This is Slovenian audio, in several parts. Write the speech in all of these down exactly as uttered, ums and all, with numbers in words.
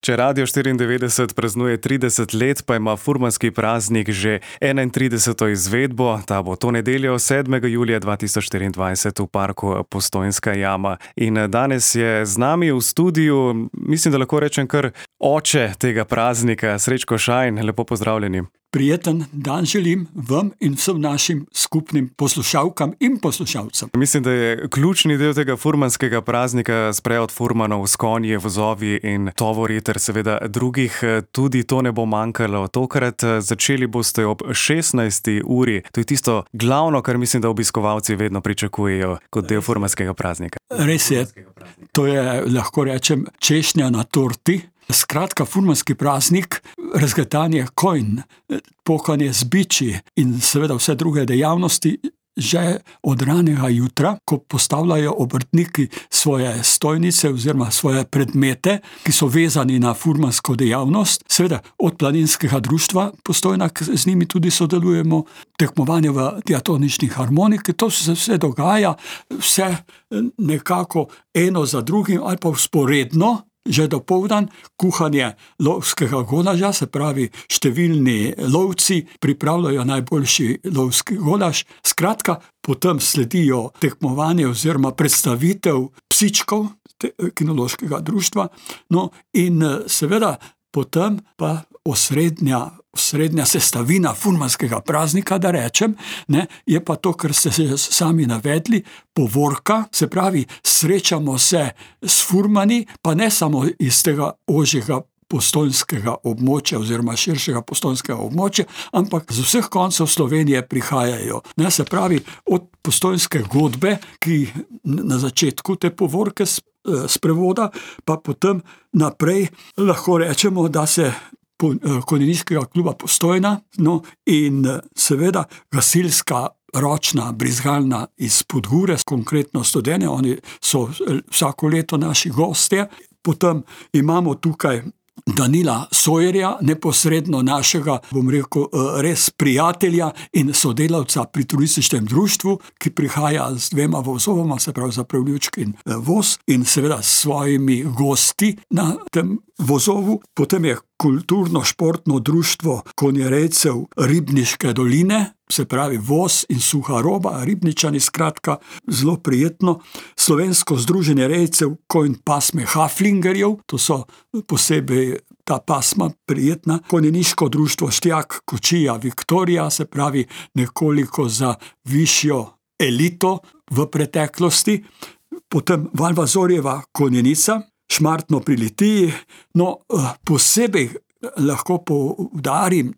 Če Radio štiriindevetdeset praznuje trideset let, pa ima furmanski praznik že enaintrideseto izvedbo. Ta bo to nedeljo, sedmega julija dva tisoč štiriindvajset v parku Postojnska jama. In danes je z nami v studiu, mislim, da lahko rečem kar oče tega praznika, Srečko Šajn, lepo pozdravljeni. Prijeten dan želim vam in vsem našim skupnim poslušalkam in poslušalcem. Mislim, da je ključni del tega furmanskega praznika sprehod furmanov s konji, vozovi in tovori ter seveda drugih. Tudi to ne bo manjkalo. Tokrat začeli boste ob šestnajsti uri. To je tisto glavno, kar mislim, da obiskovalci vedno pričakujejo kot del furmanskega praznika. Res je. To je, lahko rečem, češnja na torti. Skratka, furmanski praznik, razgatanje konj, pokanje z biči in seveda vse druge dejavnosti že od ranega jutra, ko postavljajo obrtniki svoje stojnice oziroma svoje predmete, ki so vezani na furmansko dejavnost. Seveda od planinskega društva Postojna, z njimi tudi sodelujemo, tekmovanje v diatonični harmoniki, to se vse dogaja, vse nekako eno za drugim ali pa vzporedno. Že dopoldan kuhanje lovskega golaža, se pravi številni lovci pripravljajo najboljši lovski golaž. Skratka, potem sledijo tekmovanje oziroma predstavitev psičkov kinološkega društva. No in seveda potem pa osrednja, osrednja sestavina furmanskega praznika, da rečem, ne, je pa to, kar ste se sami navedli, povorka, se pravi, srečamo se s furmani, pa ne samo iz tega ožjega postojnskega območja oziroma širšega postojnskega območja, ampak z vseh koncev Slovenije prihajajo. Ne, se pravi, od postojnske godbe, ki na začetku te povorke sprevoda, pa potem naprej lahko rečemo, da se konjeniškega kluba Postojna, no in seveda gasilska ročna brizgalna iz Podgure, konkretno Studene, oni so vsako leto naši gostje. Potem imamo tukaj Danila Sojerja, neposredno našega, bom rekel, res prijatelja in sodelavca pri turističnem društvu, ki prihaja z dvema vozovoma, se pravi zapravljučk in voz, in seveda s svojimi gosti na tem vozovu. Potem je kulturno-športno društvo konjerejcev Ribniške doline, se pravi voz in suha roba, Ribničani, skratka, zelo prijetno. Slovensko združenje rejcev konj pasme Haflingerjev, to so posebej ta pasma prijetna. Konjeniško društvo Štjak Kočija Viktorija, se pravi nekoliko za višjo elito v preteklosti. Potem Valvazorjeva konjenica, Šmartno pri Litiji. No, posebej lahko poudarim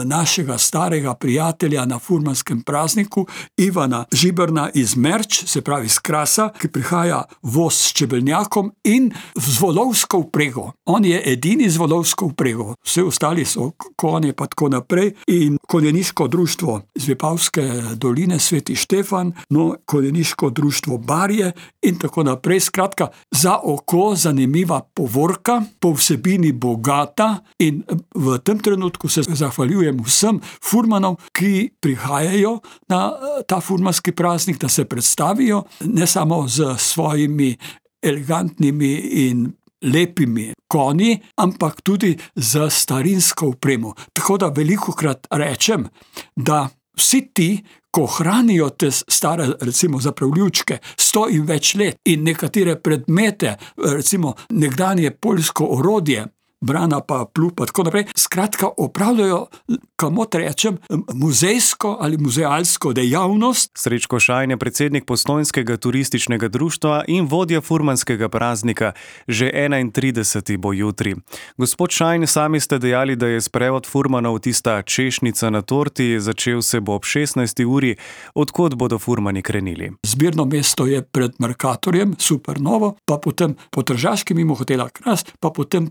našega starega prijatelja na furmanskem prazniku, Ivana Žiberna iz Merč, se pravi iz Krasa, ki prihaja voz s čebelnjakom in z volovsko vprego. On je edini z volovsko vprego, vse ostali so konje pa tako naprej. In konjeniško društvo iz Vipavske doline Sveti Štefan, no, konjeniško društvo Barje in tako naprej. Skratka, za oko zanimiva povorka, po vsebini bogata, in v tem trenutku se zahvaljujem vsem furmanom, ki prihajajo na ta furmanski praznik, da se predstavijo ne samo z svojimi elegantnimi in lepimi konji, ampak tudi z starinsko opremo. Tako da velikokrat rečem, da vsi ti, ko hranijo te stare, recimo zapravljučke, sto in več let in nekatere predmete, recimo nekdanje poljsko orodje, brana pa plupa, tako naprej. Skratka, opravljajo, kamot rečem, muzejsko ali muzealsko dejavnost. Srečko Šajn je predsednik Postojnskega turističnega društva in vodja furmanskega praznika. Že enaintrideseti bo jutri. Gospod Šajn, sami ste dejali, da je sprehod furmanov tista češnjica na torti, začel se bo ob šestnajsti uri. Odkot bodo furmani krenili? Zbirno mesto je pred Mercatorjem, Supernovo, pa potem po Tržaški mimo hotela Kras, pa potem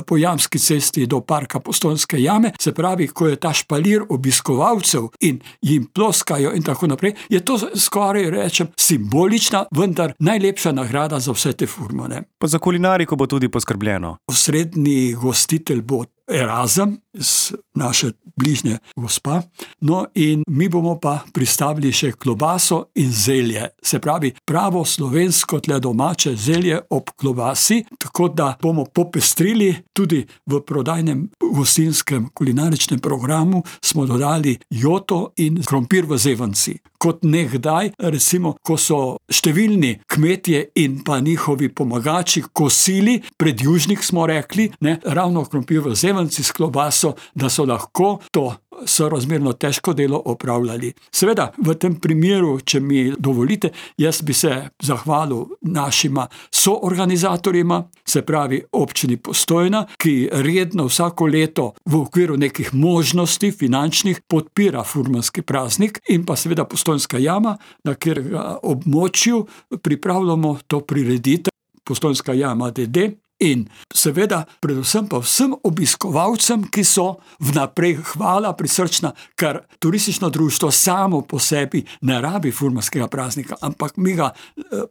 po Jamski cesti do parka Postojnske jame, se pravi, ko je ta špalir obiskovalcev in jim ploskajo in tako naprej, je to skoraj, rečem, simbolična, vendar najlepša nagrada za vse te furmane. Pa za kulinariko bo tudi poskrbljeno. Osrednji gostitelj bo Erazem, z naše bližnje gospa. No in mi bomo pa pristavili še klobaso in zelje. Se pravi, pravo slovensko tle domače zelje ob klobasi, tako da bomo popestrili tudi v prodajnem gostinskem kulinaričnem programu smo dodali joto in krompir v zevanci. Kot nekdaj, recimo, ko so številni kmetje in pa njihovi pomagači kosili, predjužnik smo rekli, ne, ravno krompir v zevanci s klobaso, da so lahko to sorazmerno težko delo opravljali. Seveda, v tem primeru, če mi dovolite, jaz bi se zahvalil našima soorganizatorjima, se pravi občini Postojna, ki redno vsako leto v okviru nekih možnosti finančnih podpira furmanski praznik, in pa seveda Postojnska jama, na katerega območju pripravljamo to prireditev, Postojnska jama D D. In seveda, predvsem pa vsem obiskovalcem, ki so vnaprej hvala prisrčna, ker turistično društvo samo po sebi ne rabi furmanskega praznika, ampak mi ga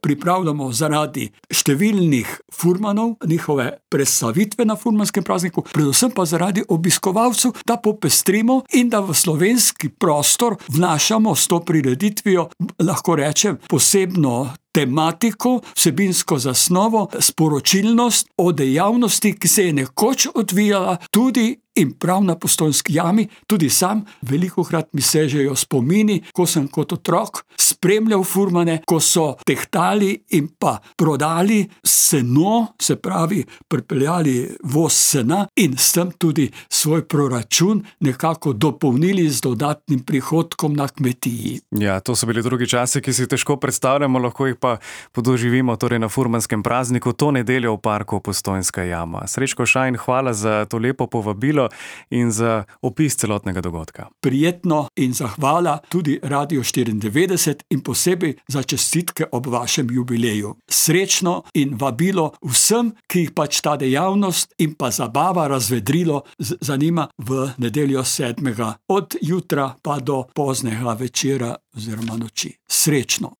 pripravljamo zaradi številnih furmanov, njihove predstavitve na furmanskem prazniku, predvsem pa zaradi obiskovalcev, da popestrimo in da v slovenski prostor vnašamo s to prireditvijo, lahko rečem, posebno tematiko, vsebinsko zasnovo, sporočilnost o dejavnosti, ki se je nekoč odvijala tudi in prav na Postojnski jami. Tudi sam velikokrat mi sežejo spomini, ko sem kot otrok spremljal furmane, ko so tehtali in pa prodali seno, se pravi, pripeljali voz sena in s tem tudi svoj proračun nekako dopolnili z dodatnim prihodkom na kmetiji. Ja, to so bili drugi časi, ki si težko predstavljamo, lahko jih pa podoživimo torej na furmanskem prazniku to nedeljo v parku Postojnska jama. Srečko Šajn, hvala za to lepo povabilo in za opis celotnega dogodka. Prijetno in zahvala tudi Radio štiriindevetdeset in posebej za čestitke ob vašem jubileju. Srečno in vabilo vsem, ki jih pač ta dejavnost in pa zabava razvedrilo zanima v nedeljo sedmega od jutra pa do poznega večera oziroma noči. Srečno!